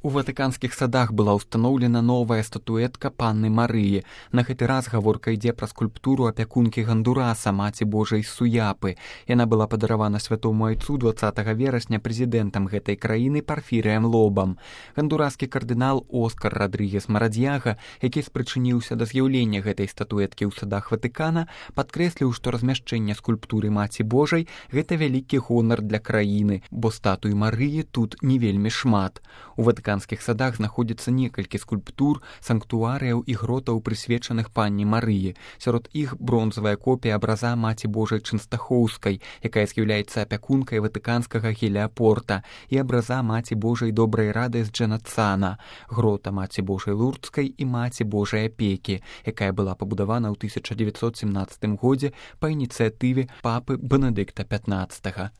У ватыканскіх садах была ўстаноўлена новая статуэтка панны Марыі. На гэты раз гаворка ідзе пра скульптуру апякункі Гандураса, маці Божай з Суяпы. Яна была падаравана святому айцу 20 верасня прэзідэнтам гэтай краіны Парфірыем Лобам. Гандураскі кардынал Оскар Радрыгес Марадзьяга, які спрычыніўся да з'яўлення гэтай статуэткі ў садах Ватыкана, падкрэсліў, што размяшчэнне скульптуры маці Божай – гэта вялікі гонар для краіны, бо статуй Марыі тут не вельмі шмат. У ватыканскіх садах знаходзіцца некалькі скульптур, санктуарыяў і гротаў, прысвечаных панне Марыі. Сярод іх бронзавая копія абраза маці Божай Чэнстахоўскай, якая з'яўляецца апякункай ватыканскага Геліапорта, і абраза маці Божай Добрай Рады з Джанацана, грота маці Божай Лурдскай і маці Божай Апекі, якая была пабудавана ў 1917 годзе па ініцыятыве папы Бенедыкта XV.